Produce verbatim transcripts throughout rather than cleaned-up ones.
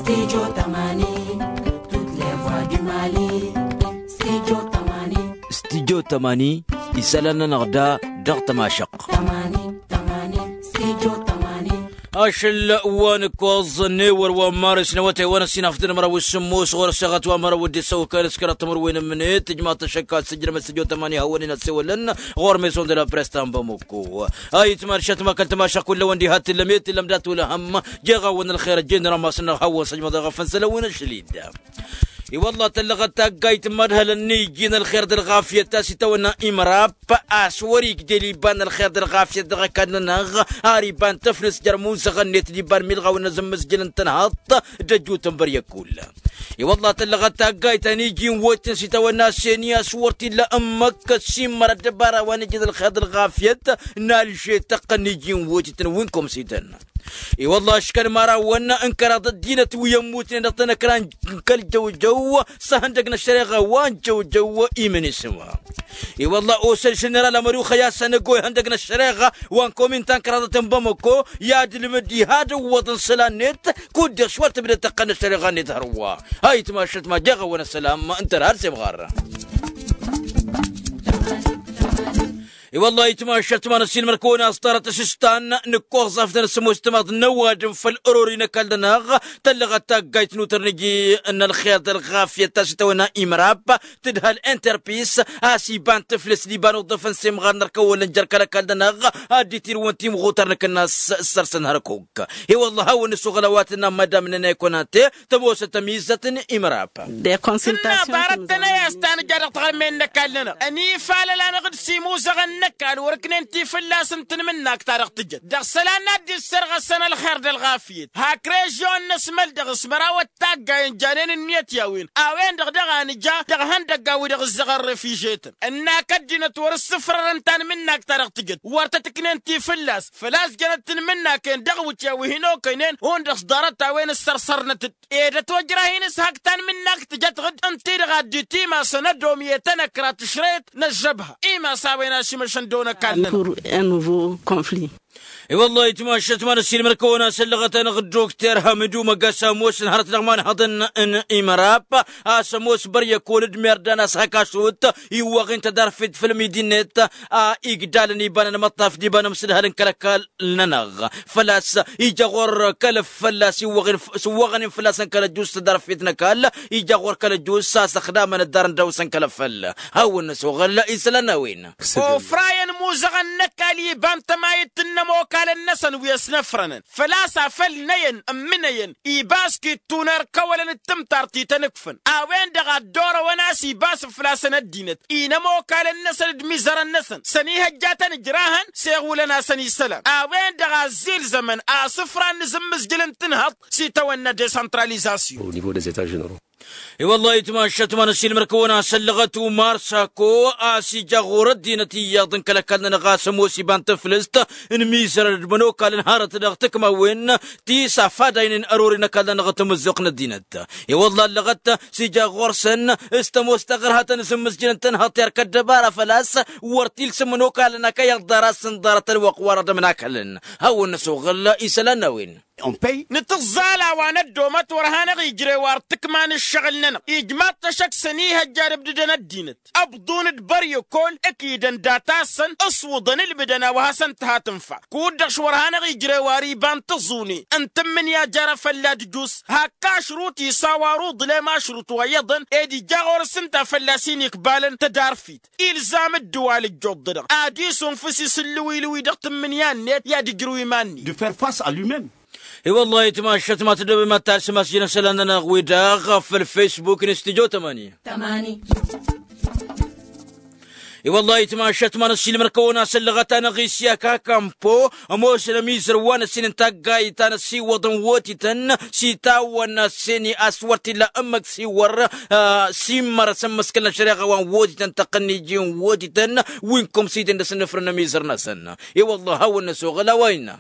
Studio tămani. Toutes les voix du mali. Studio tămani. Studio tămani. Isălan-nănăɣ da dăɣ-tămašăɣt. Tămani. Tămani. Studio tămani. Ašăl wa n-ǝkkoẓ n-ewăr wa n-maris n-awătay wa n-ăssinafdăn măraw s-sǝmmos ɣur-ăsseɣăt wa măraw d-isăwkăl s-kăraḍ timǝrwen n-imnet tǝjmaḍ-t ăššăk ad-sǝjrăm s-studio tămani hawăn-in-ăssewălăn ɣur-maison de la presse ta n-bamăkko. Ayǝtman šătma kăl-tămašăɣt kullăwăn diha t-tǝllăm i-tǝllăm dat-wăla hăm. Jeɣ-awăn ălxer ăjjeen rămas-năɣ hawăn-săjmăḍ eɣăf n-sălăwăn ăšlid. I-wălla tăllăɣăt taggayt n-imad hălăn n-iji n-ălxer d-ălɣafyăt ta s-itawănna imrab. A-s wăr-igdel iba n-ălxer d-ălɣafyăt dăɣ-ăkall-nănăɣ. Ar iba n-tăflǝs jer-imuzăɣăn-net d-iba n-milɣaw n-azǝmmǝzjǝl n-tǝnhăḍt d-ăjut n-băryăkull. I-wălla tăllăɣăt taggayt ta n-iji n-wotǝn s-itawănna seni a-s wăr t-illa ǝmmǝk ăssimmăr ăddăbara wa n-iji n-ălxer d-ălɣafyăt n-alže tăqqăn n-iji n-wotǝtăn wi n-komsităn. I-wălla ăškăl mărawăn n-kăraḍ ăddinăt wi ămmutnen dăɣ-tanăkra n-kăl-jăwjăw s-ahăndăg n-ăššăreɣa wa n-jăwjăw imǝnisǝm. I-wălla osăl ženeral amăruxăy a-s anăgo ihăndăg n-ăššăreɣa wa n-komin ta n-kăraḍăt n-bamăko i-ad-ǝlmǝd diha d-ǝwwăḍ n-isălan-net. Kud-dăɣ s-wăr tǝbdăd tăqqăn n-ăššăreɣa-net hărwa. Ayǝtmašăt ma jeɣ-awăn ăssălam ǝntăr har s-imɣar. I-wălla ayǝtmašăt ma n-ăssiilmăr-kăwăn a-s ḍarăt asǝstan. Nǝkkoẓaf-dăn s-ămoos timaḍ n-ăwadǝm făll-ărori n-ăkall-nănăɣ. Tăllăɣăt taggayt n-utărnǝj n-ălxer d-ălɣafyăt ta s-itawănna imrab tǝdhăl interpis a-s iba n-tǝflǝs d-iba n-uḍǝf n-semɣar n-ărkăwălăn jer-kăl-ăkall-nănăɣ. Ad-dd-itirǝwăn timɣutăr n-akǝnnas s-săr-săn hărkuk. I-wălla hawăn-nǝsuɣǝl a-wa tǝnna madam n-ănay konate tămoosăt ămizăt n-imrab. Tǝnna ḍarăt-tăn a-s ta nǝja dăɣ-taɣǝlmen n-ăkall-nănăɣ ănifalăl-anăɣ d-simuzăɣăn n-ăkall wăr-ǝknen ti fălla-s n-tanmǝnnakt ta dăɣ-tǝjăt dăɣ-isălan n-ad-dd-issărɣăsăn ălxer d-ălɣafyăt hak režion n-asmăl dăɣ-s mărawăt taggay ǝnjanen ǝnniyăt i-a-wen a-wen-dăɣ daɣ a nǝja dăɣ-ihăndăgga-wi-dăɣ ǝzzăɣăn refižetăn ǝnnak ăddinăt wăr-ǝssǝfrărăn tanmǝnnakt ta dăɣ-tǝjăt wăr tăt-ǝknen ti fălla-s făl-a-s jănăt tanmǝnnak-en dăɣ-iwǝtya wi hin-okăynen hundăɣ s-ḍarăt a-wen ǝssărsărnăt-dd. Edăt ojrah-in s-hak tanmǝnnakt tǝjăt ɣǝd ǝnta-i-dăɣ a dd-itimasăn ădomiyet ănăkra tǝšrăyăt n-ăžžăbha imas a-wen ašimăšăn d-onăkall-nănăɣ. I-wăllah ayǝtmašăt ma n-ăssiilmăr-kăwăn a-s ăllăɣăt-anăɣ dd-dokter hamǝdu măggas ămoosăn hărăt dăɣ-imanhăḍăn n-imărab a-s ămoos băryăkol d-merdan a-s hak ašrut iwwăɣ-in tădarfet făll-midi-net a igdalăn iba n-anmăṭṭaf d-iba n-amsǝdhăl n-kăl-ăkall-nănăɣ. Făl-a-s ija ɣur-kăl-ăf fălla-s iwwăɣ-in s-iwwăɣăn-in fălla-săn kăl-ăjus tădarfet n-ăkall ija ɣur-kăl-ăjus a-s ăxdamăn ăddarăn dăɣ-wǝsăn kăl-ăffăl. Hawăn-năsoɣăl isălan n-a-wen. Ofrayăn imuzăɣăn n-ăkall iba n-tămayǝt n-inămokalăn-năsăn wi ăsnăfrănăn făl-a-s afăl năyăn ǝmmǝnăyăn iba s-kittuner kăwălăn d-tǝmtartit ănǝkfăn a-wen-dăɣ a dd-orăwăn a-s iba s-făl-a-săn ăddinăt inămokalăn-năsăn d-imizărăn-năsăn s-ănihăjjatăn ǝjrahăn s-iɣulăn-asăn isălan a-wen-dăɣ a ăzzilzămăn asǝfra n-inǝzǝmmǝzjǝl n-tǝnhăḍt s-itawănna desăntralizasyon. I-wăllah ayǝtmašăt ma n-ăssiilmăr-kăwăn a-s ăllăɣăt umar sako a-s ija ɣur-ăddinăt iyyăḍ n-kăl-ăkall-nănăɣ a-s ămoos iba n-taflǝst n-imizărăn d-imănokalăn hărăt dăɣ-tǝkmawen ti s-afadaynen ărori n-ăkall-nănăɣ timǝzzuɣt n-ăddinăt. I-wăllah ăllăɣăt s-ija ɣur-săn s-tămoos taɣărha ta n-azǝmmǝzjǝl n-tǝnhăḍt i-arkăt dăbara făl-a-s wăr t-ilsǝm imănokalăn akăyăḍ ḍarăt s-ǝnḍarăt ălwăqq wa răḍăm n-akălăn. Hawăn-năsoɣăl isălan n-a-wen. Nǝtǝẓẓal a-wa năddomăt wăr hanăɣ-ijrew ar tǝkma n-ǝššăɣǝl-nănăɣ ijmaḍ-t ăššăk s-ănihăjja ad-ǝbdǝdăn ăddinăt ăbḍun d-băryăkol ǝkidăn data-săn ǝswǝḍăn ǝlmǝdăn a-wa hasăn-tǝha tǝnfa. Kud-dăɣ š-wăr hanăɣ-ijrew ar iba n-tǝẓune n-tǝmmǝnǝya jer-afălla d-jus hak ašrut isaw ar uḍlem ašrut wa iyyăḍăn ed ija ɣur-s ǝnta a fălla-s inikbalăn tădarfit. Ilzam ǝddǝwal ǝjjuḍ-dăɣ ad-isunfǝs isǝllǝwilǝwi dăɣ-tǝmmǝnǝya-net i-ad-ǝjrǝw iman-net. I-wăllah ayǝtmašăt ma tăddobem ad-talsǝm a-s jăn isălan-nănăɣ-wi-dăɣ făll-facebook n-studyo tămani. I-wăllah ayǝtmašăt ma n-ăssiilmăr-kăwăn a-s ăllăɣăt-anăɣ isyak akampo ămoosăn ămizăr wa n-ăssin n-taggayt ta n-ăssiwăḍăn wotităn s-itawănna s-seni a-s wăr t-illa ǝmmǝk s-iwwăr s-immăr asǝmmǝskǝl n-ăššăreɣa wa n-wotităn tăqqăn n-iji n-wotităn wi n-kăwăm s-iten d-asǝnnǝfrăn n-ămizăr-năsăn. I-wăllah hawăn-năsoɣăl a-wa innă.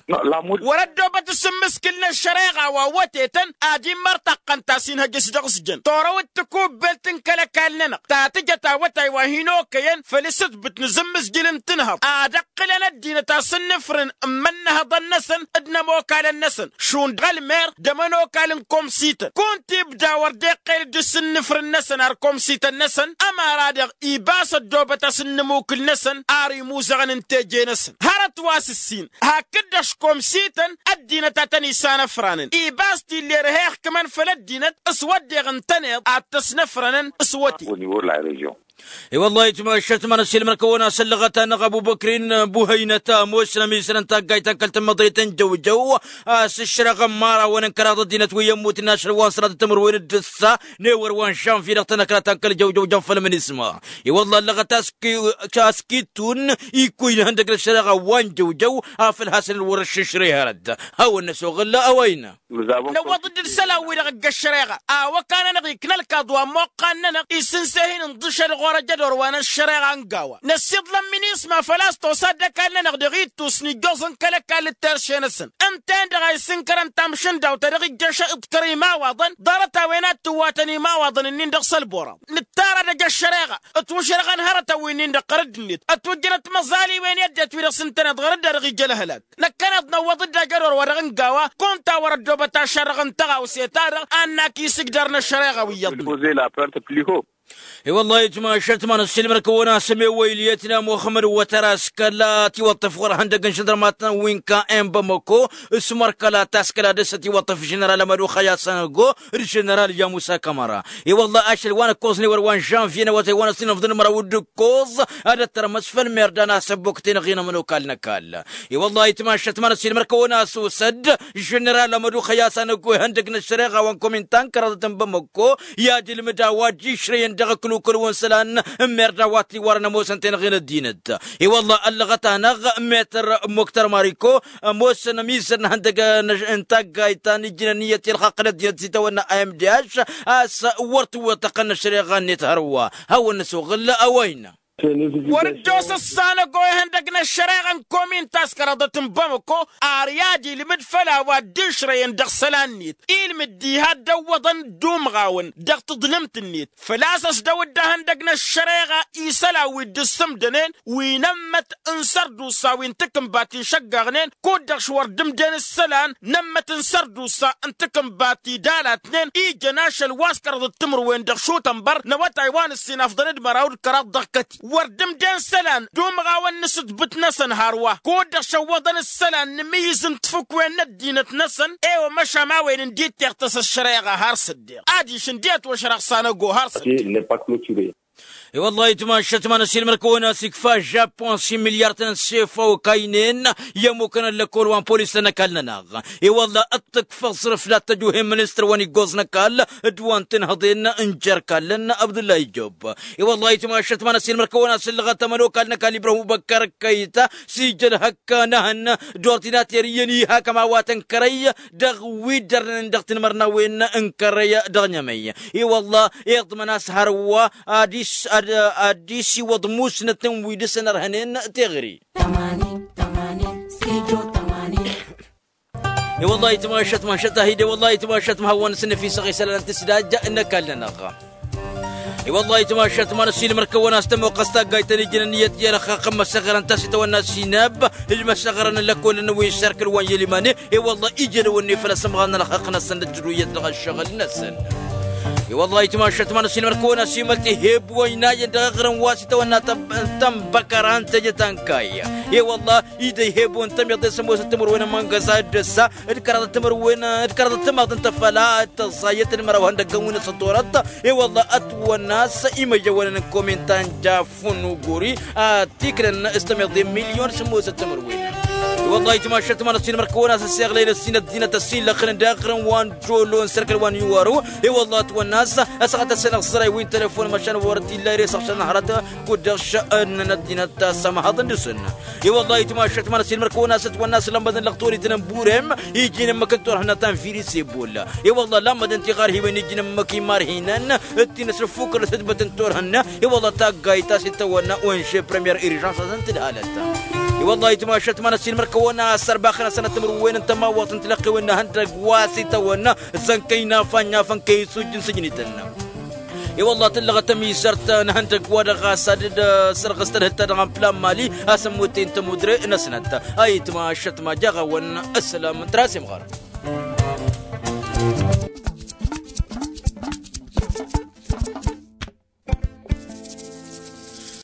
Wăr-ăddoobăt asǝmmǝskǝl n-ăššăreɣa wa wătetăn ad-immăr taqqăn ta s-inhăj s-dăɣ-s jăn torăwăt takubbelt n-kăl-ăkall-nănăɣ ta tǝjăt awătay wa hin-okăyăn făll-s s-ǝtbǝt n-azǝmmǝzjǝl n-tinhăḍt ad-ăqqǝlăn ăddinăt asǝnnǝfrǝn n-imănnăhăḍăn-năsăn d-inămokalăn-năsăn šund ălmer d-ămănokal n-komsităn. Kunta ibda wăr dd-iqqel d-asǝnnǝfrǝn-năsăn ar komsităn-năsăn ămăra-dăɣ ibas ăddoobăt asǝnnǝmukǝl-năsăn ar imuzăɣăn n-teje-năsăn hărăt wa s-ǝssin. Hakd-dăɣ š-komsităn ăddinăt a tăn-isanăfranăn ibas t-ille ărheɣ kămăn făll-ăddinăt s-wădden ǝntăneḍ ad-t-ăsnăfrănăn s-wăte. I-wălla itmašat ma n-ăssiilmăr-kăwăn-as ăllăɣăt-anăɣ ăbubăkrin buhăynăt ămoosnăm isălan taggayt ta n-kăl-tămmăḍrit n-jăwjăw a-s ǝššăreɣ ămmărawăn n-kăraḍ ăddinăt wi ămmutăn ašăl wa n-sănatăt timǝrwen d-ǝssa n-ewăr wa n-žănvye dăɣ-tanăkra ta n-kăl-jăwjăw jăn făll-mănisma. I-wălla ăllăɣăt a-s kittun ikkuy n-ihăndăg n-ăššăreɣa wa n-jăwjăw afăl hasăn-dd wăr ăššǝšrǝy hărăt. Hawăn-năsoɣǝl a-wa innă. Năwwăḍ-dd d-isălan-wi-dăɣ ǝgg ăššăreɣa a-wa kan-anăɣ ikna ălkaḍ wa n-imuqqan-nănăɣ isǝnseh-in ǝnḍǝšăl ɣur-ăj ădor wa n-ăššăreɣa n-gawa năssiḍlăn minisma făl-a-s tosa dd-ăkall-nănăɣ dăɣ-ittus n-ijjoẓ n-kăl-ăkall d-terše-năsăn. Ǝnta-en-dăɣ a isǝnkărăn tamšǝndawt ta dăɣ-ijjăš iḍkăr imawaḍăn ḍarăt-a-wen ad-tǝwwatăn imawaḍăn-ǝnnin-dăɣ s-ălburaḍ. Nǝttarad ăj ăššăreɣa ǝtwǝšrăɣăn hărătăn wi-nin-dăɣ ɣărădd-net ătwǝjjănăt măẓaliwen i-ăddinăt wi-dăɣ s-ǝntăneḍ ɣărădd a dăɣ-ija ălhălak. Năkkăneḍ năwwăḍ-dd ajădor wa dăɣ-nǝgawa kunta wăr-ăddoobăt ašărrăɣ n-tăɣawse-ta-dăɣ ad-nak isǝjdărăn ăššăreɣa wi iyyăḍnen. I-wăllah itmašat ma n-ăssiilmăr-kăwăn a-s ămewăyǝl i-ătna muxămmăd wătăr a-s kăla tiwăṭṭăf ɣur-ihăndăg n-žăndărmatăn wi n-ka'en bamăko s-măr kăla taskăla dăr-s ătiwăṭṭăf ženeral amăduxăy asănăgo d-ženeral yamusa kămăra. I-wăllah ašăl wa n-ǝkkoẓ n-ewăr wa n-žănvye n-awătay wa n-ăssinăfḍăn măraw d-ǝkkoẓ ad-ăttărmăs făll-merda n-asăbbok tenăɣ-i n-ămănokal n-ăkall. I-wăllah itmašat ma n-ăssiilmăr-kăwăn a-s osăd ženeral amăduxăy asănăgo ihăndăg n-ăššăreɣa wa n-kominta n-kăraḍăt n-bamăko i-ad-ilmǝd a-wa dd-išrăyăn dăɣ-ǝklukǝl-wăn isălan n-merda wa t-iwărăn ămoosăn tenăɣ-i n-ăddinăt. I-wăllah ăllăɣăt-anăɣ metăr muktăr mariko ămoosăn ămizăr n-ihăndăg n-taggayt ta n-ijjǝn ănniyăt i-ălxaqq n-ăddinăt s-itawănna a m d h a-s wăr t-wăṭṭăqăn ăššăreɣa-net hărwa. Hawăn-năsoɣǝl a-wa innă. Wăr-dd-osăssan ăgg-oy ihăndăg n-ăššăreɣa n-komin ta s-kăraḍăt n-bamăko ar i-ad-ilmǝd făll-a-wa dd-išrăyăn dăɣ-isălan-net ilmǝd diha dd-ăwwăḍăn d-umɣawăn dăɣ-taḍlǝmt-net. Făl-a-s ăsdăw-dd ihăndăg n-ăššăreɣa isălan wi dd-ǝssǝmdănen wi n-ămmăt n-sărdusa wi n-takǝnbat išăggaɣnen kud-dăɣ š-wăr dd-ǝmden isălan n-ămmăt n-sărdusa n-takǝnbat idalatnen ijăn ašăl wa s-kăraḍăt timǝrwen dăɣ-šutănbăr n-awătay wa n-ǝssin afḍăn d-măraw d-kăraḍ dăɣ-kăti wăr dd-ǝmden isălan d-umɣawăn n-asǝtbǝt-năsăn hărwa kud-dăɣ šăwwăḍăn isălan n-imǝyyǝz n-tafǝkwen n-ăddinăt-năsăn. I-wămăšam a-wen ǝndi teɣtăs ăššăreɣa har s-dd-deɣ adiš ǝndi ătwăšrăɣ s-anăgo har s-dd-deɣ. I-wăllah itmašat ma n-ăsilmăr-kăwăn a-s ikfa žapun s-imilyar-tăn n-sefa okaynen i-ămmukăn ăllăkkol wa n-polis-tăn ăkall-nănăɣ. I-wăllah ăṭṭǝkfăẓ rǝflat tăjuhen ministăr wa n-iggoẓ n-ăkall d-wa n-tinhăḍen n-jer-kallăn abdullah ijjob. I-wăllah itmašat ma n-ăsilmăr-kăwăn a-s ǝllăɣăt ămănokal n-ăkall ibrahim ubăkkar ăkkăyta s-ija ălhăkk n-ehăn d-ordinater iyyăn ihakăm a-wa tăn-kărăy dăɣ-wi dd-ărnen dăɣ-tinmărnawen n-kărăy dăɣ-nyămăy. I-wăllah iḍmăn a-s hărwa ad-isiwăḍ musnăt n-wi dăr-săn ărhănen teɣăre. I-wăllah itmašat mašat ahide wăllah itmašat ma hawăn-săn năfisăɣ isălan n-tǝsdajja n-ăkall-nănăɣ. I-wăllah itmašat ma n-ăsilmăr-kăwăn a-s tămoqqăs taggayt ta n-ijnăn iyyăt i-ălxaqq n-măssăɣărăn ta s-itawănna sinab d-măssăɣărăn n-lăkkolăn wi s-erkăl wa n-yălimane. I-wăllah ijălăwăn-i făll-asămɣar n-ălxaqq-năsăn d-ǝjrǝw iyyăt dăɣ-ăššăɣǝl-năsăn. I-wăllah itmašat ma n-ăsilmăr-kăwăn a-s imălt iheb wa ina iyyăn dăɣ-eɣrǝm wa s-itawănna tămbăkăra n-teje ta n-kayy. I-wăllah ida iheb wa n-tămiḍe s-ămoosăt timǝrwen n-imăngăza d-ăssa d-kăraḍăt timǝrwen d-kăraḍăt timaḍ n-tăfăla d-tăẓẓayăt d-măraw ihăndăggăn wi n-asătorăt. I-wăllah ătwănna a-s imăjăwănăn n-komin ta n-jaf fun uguri a tiknăn s-tămiḍe n-milyon s-ămoosăt timǝrwen. I-wăllah itmašat ma n-ăsilmăr-kăwăn a-s ăssiɣlăyăn ăssin ăddinăt ăsillăxnen d-eɣrǝm wa n-jolo n-sărkăl wa n-iwaru. I-wăllah ătwănna a-s ăsɣăt-asăn iɣẓăray wi n-telefon măšan wăr t-illa ere s-ăɣšăn hărăt kud-dăɣ šănnăn ăddinăt ta s-ămhăḍăn dăr-săn. I-wăllah itmašat ma n-ăsilmăr-kăwăn a-s ătwănna a-s lammădăn lăɣtorităn n-burem ijin ǝmmǝk n-turhǝnna ta n-virus ebolla. I-wăllah lammădăn tiɣarhiwen ijin ǝmmǝk imarhinăn d-tinăs ăffukăr s-ǝtbăt n-turhǝnna. I-wăllah taggayt ta s-itawănna onže premier irižans a-s ǝntǝdhalăt. I-wăllah itmašat ma n-ăsilmăr-kăwăn a-s ărbaxăn asănăt timǝrwen n-tămawăḍt n-tilăqqiwen n-ehăndăgg wa s-itawănna zăn kăy-nafa n-inyafăn kăy-isujj n-sǝjnităn. I-wălla tǝllăɣăt ămizărt n-ihăndăgg-wa-dăɣ ɣas ad-dd-sărɣǝs tadhǝlt-ta-dăɣ n-plan mali a-s ămmutte n-tămudre-năsnăt. Ayǝtma ăššătma jaɣ-awăn. Ăssălam n-tras imɣarăn.